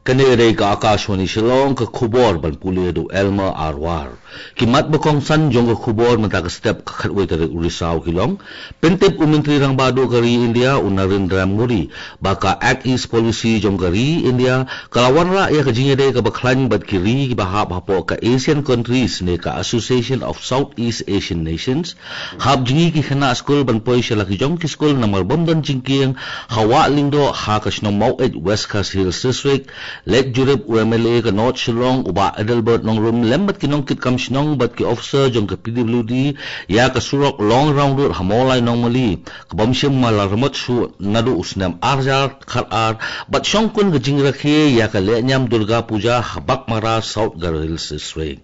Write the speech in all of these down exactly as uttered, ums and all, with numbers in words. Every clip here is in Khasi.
Kane ka dei ka Akashvani Shillong, ka khubor ban pule da u Elmer Arwar. Ki mat ba kongsan jong ka khubor mynta ka step ka khatwei tarik u Risaw ki long. Pyntip u Myntri Rangbah Duh ka ri India, u Narendra Modi, ba ka Act East Policy jong ka ri India ka la wanrah ïa ka jingïadei kaba khlaiñ bad ki ri kiba hap hapoh ka ASEAN countries ne ka Association of Southeast Asian Nations. Hap jngi ki khynnah skul ban poi sha la ki jong ki skul namar bym don jingkieng ha Wah Lyngdoh ha ka shnong Maweit, West Khasi Hills District. Leit jurip u MLA ka North Shillong u Bah Adelbert Nongrum lem bad ki nongkitkam shnong bad ki officer jong ka PWD ïa ka surok long round road ha Mawlai Nongmali, kaba ym shym la remot shuh naduh u snem ar hajar khatar, bad shongkun ka jingrakhe ïa ka lehniam Durga Puja ha Baghmara, South Garo Hills District.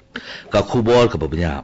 Ka khubor kaba bniah.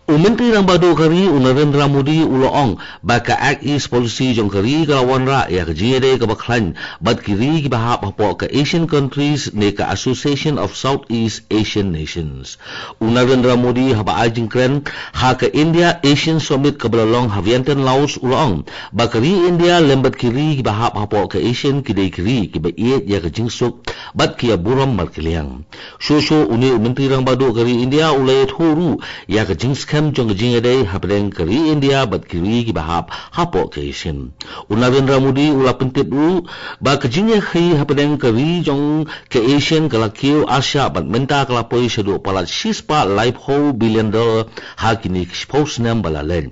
U Myntri Rangbah Duh ka ri, u Narendra Modi, u la ong ba ka Act East Policy jong ka ri ka la wanrah ïa ka jingïadei kaba khlaiñ bad ki ri kiba hap hapoh ka ASEAN countries ne ka Association of Southeast Asian Nations. U Narendra Modi, haba ai jingkren ha ka India ASEAN Summit kaba la long ha Vientiane, Laos, u la ong ba ka ri India lem bad ki ri kiba hap hapoh ka ASEAN ki dei ki ri kiba ïeit ïa ka jingsuk bad ki ïa burom markylliang. Shuh shuh une u Myntri Rangbah Duh ka ri India u la ïathuh ruh ïa ka jingskhem jong ka jingïadei hapdeng ka ri India bad ki ri kiba hap hapoh ka ASEAN. U Narendra Modi u la pyntip ruh ba ka jingïakhih hapdeng ka ri jong ka ASEAN ka la kiew arshah bad mynta ka la poi shaduh palat shispah laiphew billion dollar ha kine ki shiphew snem ba la leit.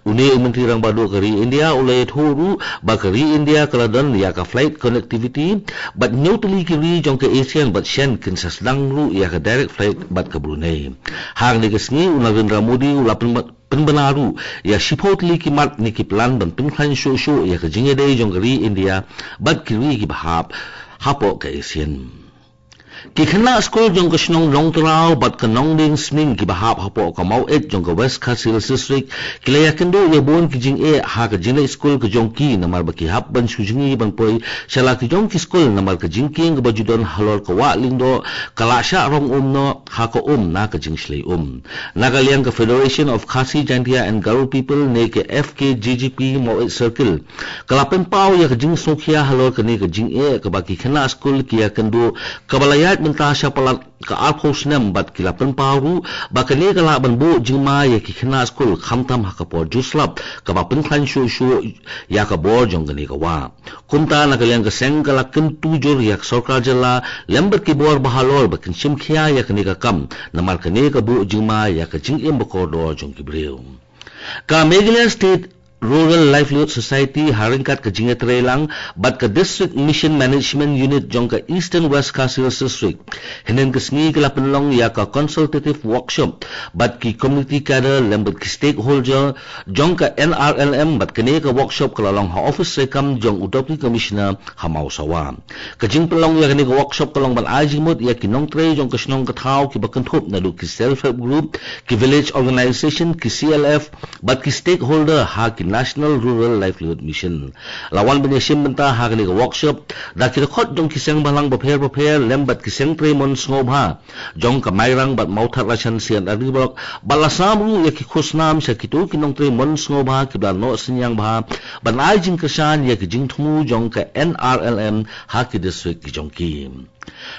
Une u Myntri Rangbah Duh ka ri India u la ïathuh ruh ba ka ri India ka la don ïa ka flight connectivity bad hynñiew tylli ki ri jong ka ASEAN bad shen kin sa sdang ruh ïa ka direct flight bad ka Brunei. Hangne ka sngi u Narendra Modi u la pynba-, pynbna ruh ïa shiphew tylli ki mat ne ki plan ban pynkhlaiñ shuh shuh ïa ka jingïadei jong ka ri India bad ki ri kiba hap hapoh ka ASEAN. Ki khynnah skul jong ka shnong Nongtraw bad ka Nongdieng Sning kiba hap hapoh ka Maweit jong ka West Khasi Hills District ki la ïakynduh ïa bun ki jingeh ha ka jingleit skul ka jong ki namar ba ki hap ban shu jngi ban poi sha la ki jong ki skul namar ka jingkieng kaba ju don halor ka Wah Lyngdoh ka la shah rong um noh ha ka um na ka jingshlei um. Na ka liang ka Federation of Khasi Jaintia and Garo People ne ka FKJGP Maweit Circle ka la pynpaw ïa ka jingsngewkhia halor kane ka jingeh kaba ki khynnah skul ki ïakynduh kaba la ïaid mynta sha palat ka arphew snem bad ki la pynpaw ruh ba kane ka lah ban buh jingma ïa ki khynnah skul khamtam ha ka por jur slap kaba pynkhlaiñ shuh shuh ïa ka bor jong kane ka wah. Kumta na ka liang ka seng ka la kyntu jur ïa ka sorkar jylla lem bad ki bor bahalor ba kin shim khia ïa kane ka kam namar kane ka buh jingma ïa ka jingim ba kordor jong ki briew. Ka Meghalaya State Rural Livelihood Society ha ryngkat ka jingïatreilang bad ka District Mission Management Unit jong ka Eastern West Khasi Hills District hynnin ka sngi ka la pynlong ïa ka consultative workshop bad ki community cadre lem bad ki stakeholder jong ka NRLM bad kane ka workshop ka la long ha office treikam jong u Deputy Commissioner ha Mawsawa. Ka jingpynlong ïa kane ka workshop ka long ban ai jingmut ïa ki nongtrei jong ka shnong ka thaw kiba kynthup naduh ki self help group, ki village organization, ki CLF bad ki stakeholder ha ki National Rural Livelihood Mission. La wan ban ïashim bynta ha kane ka workshop da ki dkhot jong ki seng bhalang bapher bapher lem bad ki seng trei mon sngewbha jong ka Mairang bad Mawthadraishan C and RD Block bad la sam ruh ïa ki khusnam sha kito ki nongtrei mon sngewbha kiba la noh synñiang bha ban ai jingkyrshan ïa ki jingthmu jong ka NRLM ha ki district ki jong ki.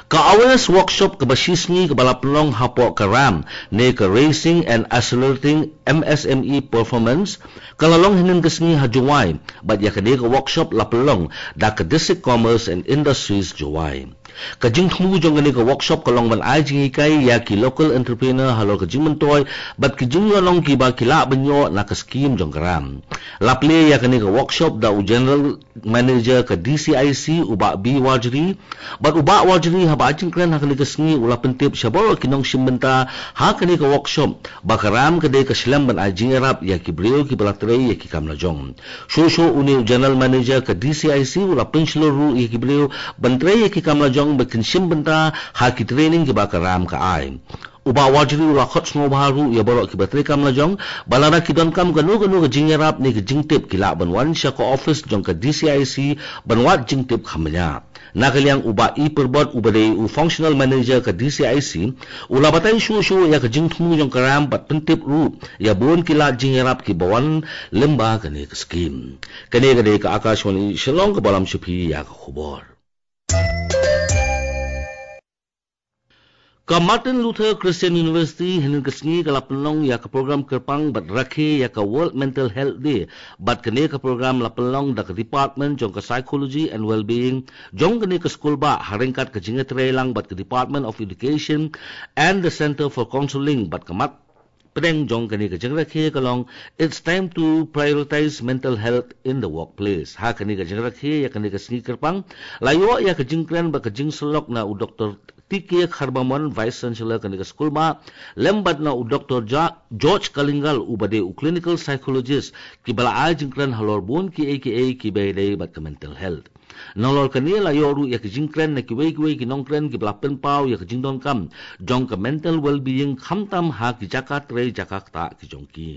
Ka awareness workshop kaba shisngi kaba la pynlong hapoh ka RAM ne ka Raising and Accelerating MSME Performance ka la long hynnin ka sngi ha Jowai bad ïa kane ka workshop la pynlong da ka District Commerce and Industries Jowai. Ka jingthmu jong kane ka workshop ka long ban ai jinghikai ïa ki local entrepreneur halor ka jingmyntoi bad ki jingïohnong kiba ki lah ban ïoh na ka skim jong ka RAM. La plie ïa kane ka workshop da u General Manager ka DCIC u Bah B Warjri bad u Bah Warjri haba ai jingkren ha kane ka sngi u la pyntip sha baroh ki nongshim bynta ha kane ka workshop ba ka RAM ka dei ka shlem ban ai jingïarap ïa ki briew kiba la trei ïa ki kam la jong. Shuh shuh une u General Manager ka DCIC u la pynshlur ruh ïa ki briew ban trei ïa ki kam la jong ba kin shim bynta ha ki training kiba ka RAM ka ai. U Bah Warjri u la khot sngewbha ruh ïa baroh kiba trei kam la jong ba lada ki donkam kano kano ka jingïarap ne ka jingtip ki lah ban wan sha ka office jong ka DCIC ban wad jingtip kham bniah. Na ka liang u Bah E Pyrbot uba dei u Functional Manager ka DCIC u la batai shuh shuh ïa ka jingthmu jong ka RAM bad pyntip ruh ïa bun ki lad jingïarap kiba wan lyngba kane ka skim. Kane ka dei ka Akashvani Shillong kaba lam sha phi ïa ka khubor. Ka Martin Luther Christian University hynnin ka sngi ka la pynlong ïa ka program kyrpang bad rakhe ïa ka World Mental Health Day, bad kane ka program la pynlong da ka Department jong ka Psychology and Wellbeing jong kane ka skul bah, ha ryngkat ka jingïatreilang bad ka Department of Education and the Center for Counseling, bad ka mat pdeng jong kane ka jingrakhe ka long It's time to prioritize mental health in the workplace. Ha kane ka jingrakhe ïa kane ka sngi kyrpang, la ïoh ïa ka jingkren bad ka jingsyllok na u Doktor T K Kharbamon, Vice Chancellor kane ka skul bah, lem bad na u Doktor Ja-, George Kalingal, uba dei u clinical psychologist, kiba la ai jingkren halor bun kiei kiei kiba ïadei bad ka mental health. Nalor kane la ïoh ruh ïa ka jingkren na kiwei kiwei ki nongkren kiba la pynpaw ïa ka jingdonkam jong ka mental well-being, khamtam ha ki jaka trei jaka ktah ki jong ki.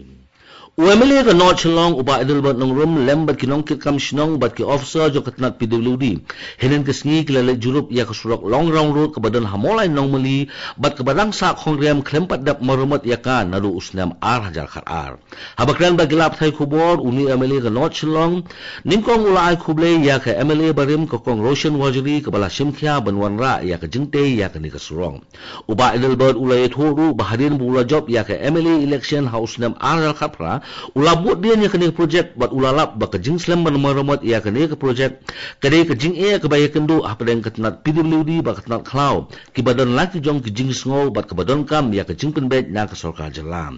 U M L A ka North Shillong, u Bah Adelbert Nongrum, lem bad ki nongkitkam shnong bad ki officer jong ka tnat P W D, hynnin ka sngi ki la leit jurip ïa ka surok Long Round Road kaba don ha Mawlai Nongmali, bad kaba dang sah khongriam khlem pat dep maramot ïa ka naduh u snem ar hajar khat ar. Haba kren bad ki lad pathai khubor, une u M L A ka North Shillong nyngkong u la ai khublei ïa ka M L A barim ka Kong Roshan Warjri, kaba la shim khia ban wanrah ïa ka jingtei ïa kane ka surok. U Bah Adelbert u la ïathuh ruh ba hadien ba u la jop ïa ka M L A election ha u snem ar hajar khat phra, u la bud dien ïa kane ka projek bad u la lap ba ka jingslem ban maramot ïa kane ka projek ka dei ka jingeh kaba ïakynduh hapdeng ka tnat P W D bad ka tnat khlaw, kiba don la ki jong ki jingsngew bad kaba donkam ïa ka jingpynbeit na ka sorkar jylla.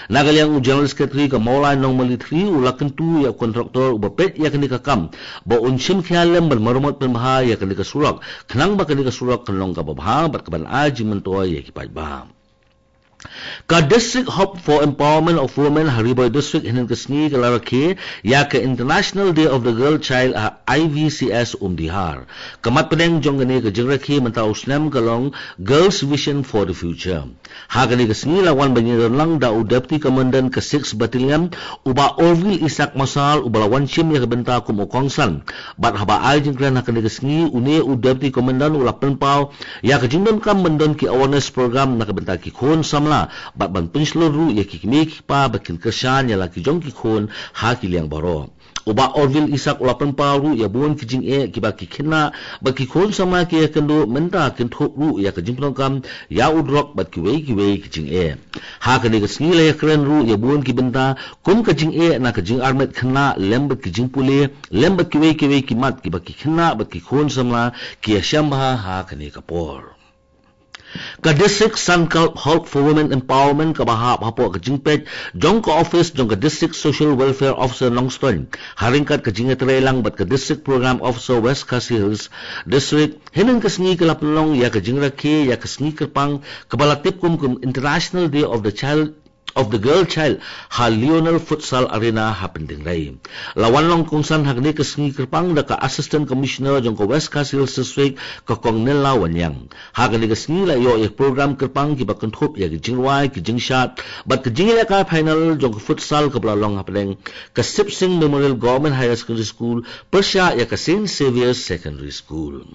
Na ka liang u General Secretary ka Mawlai Nongmali three u la kyntu ïa u kontraktor uba peit ïa kane ka kam ba un shim khia lem ban maramot pynbha ïa kane ka surok, khnang ba kane ka surok kan long kaba bha bad kaban ai jingmyntoi ïa ki paidbah. Ka District Hub for Empowerment of Women ha Ri Bhoi District hynnin ka sngi ka la rakhe ïa ka International Day of the Girl Child ha I V C S Umdihar. Ka mat pdeng jong kane ka jingrakhe mynta u snem ka long Girls Vision for the Future. Ha kane ka sngi la wan ban ïadonlang da u Deputy Commandant ka Sixth Battalion, u Bah Orville Isaac Marsal, uba la wan shim ïa ka bynta kum u kongsan. Bad haba ai jingkren ha kane ka sngi, une u Deputy Commandant u la pynpaw ïa ka jingdonkam ban don ki awareness program na ka bynta ki khun samla, bad ban pynshlur ruh ïa ki kmie ki kpa ba kin kyrshan ïa la ki jong ki khun ha ki liang baroh. U Bah Orville Isaac u la pynpaw ruh ïa bun ki jingeh kiba ki khynnah bad ki khun samla ki ïakynduh, mynta kin thup ruh ïa ka jingpyndonkam ïa u drok bad kiwei kiwei ki jingeh. Ha kane ka sngi la ïakren ruh ïa bun ki bynta kum ka jingeh na ka jingarmet khynnah lem bad ki jingpule lem bad kiwei kiwei ki mat kiba ki khynnah bad ki khun samla ki ïashem bha ha kane ka por. Ka District Sankalp Hub for Women Empowerment kaba hap hapoh ka jingpeit jong ka office jong ka District Social Welfare Officer Nongstoiñ, ha ryngkat ka jingïatreilang bad ka District Program Officer West Khasi Hills District, hynnin ka sngi ka la pynlong ïa ka jingrakhe ïa ka sngi kyrpang kaba la tip kum ka International Day of the Child of the Girl Child ha Lionel Futsal Arena ha Pyndengrei. La wan long kongsan ha kane ka sngi kyrpang da ka Assistant Commissioner jong ka West Khasi Hills District, ka Kong Nella Wanniang. Ha kane ka sngi la ïoh ïa ka program kyrpang kiba kynthup ïa ka jingrwai, ka jingshad bad ka jingïalehkai final jong ka futsal kaba la long hapdeng ka Sip Singh Memorial Government Higher Secondary School pyrshah ïa ka Saint Xavier's Secondary School.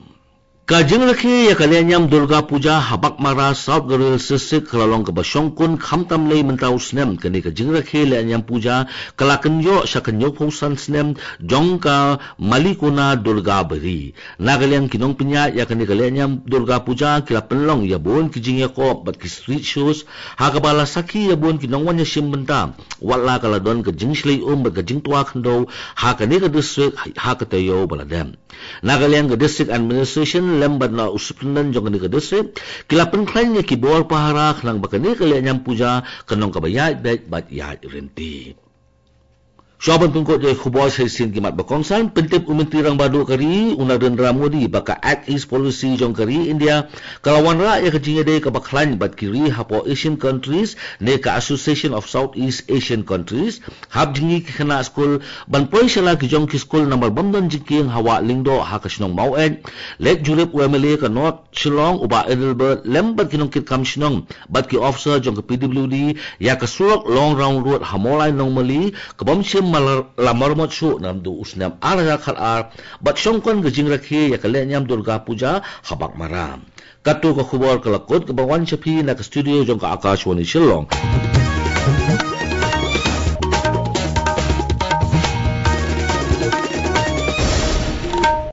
Ka jingrakhe ïa ka lehniam Durga Puja ha Baghmara, South Garo Hills District ka la long kaba shongkun khamtam lei mynta u snem. Kane ka jingrakhe lehniam puja ka la kynjoh sha ka hynñiewphew san snem jong ka Malikona Durga Bari. Na ka liang ki nongpynïaid ïa kane ka lehniam Durga Puja ki la pynlong ïa bun ki jingïakop bad ki street shows, ha kaba la sakhi ïa bun ki nongwan ïashim bynta, wat la ka la don ka jingshlei um bad ka jingtwa khyndew ha kane ka district ha ka taïew ba la dep. Na ka liang ka District Administration lem bad na u Superintendent jong kane ka district ki la pynkhlaiñ ïa ki bor pahara khnang ba kane ka lehniam puja kan long kaba ïaid beit bad ïaid ryntih. Shuwa ban pynkut ïa ki khubor sa shisien ki mat ba kongsan, pyntip u Myntri Rangbah Duh ka ri u Narendra Modi ba ka Act East Policy jong ka ri India ka la wanrah ïa ka jingïadei kaba khlaiñ bad ki ri hapoh Asian countries ne ka Association of Southeast Asian Countries, hap jngi ki khynnah skul ban poi sha la ki jong ki skul namar bym don jingkieng ha Wah Lyngdoh ha ka shnong Maweit. Leit jurip u M L A ka North Shillong u Bah Adelbert lem bad ki nongkitkam shnong bad ki officer jong ka P W D ïa ka surok Long Round Road ha Mawlai Nongmali ka bym shym la maramot shuh naduh u snem ar hajar khat ar, bad shongkun ka jingrakhe ïa ka lehniam Durga Puja ha Baghmara. Katto ka khubor ka la kut kaba wan sha phi na ka studio jong ka Akashvani Shillong.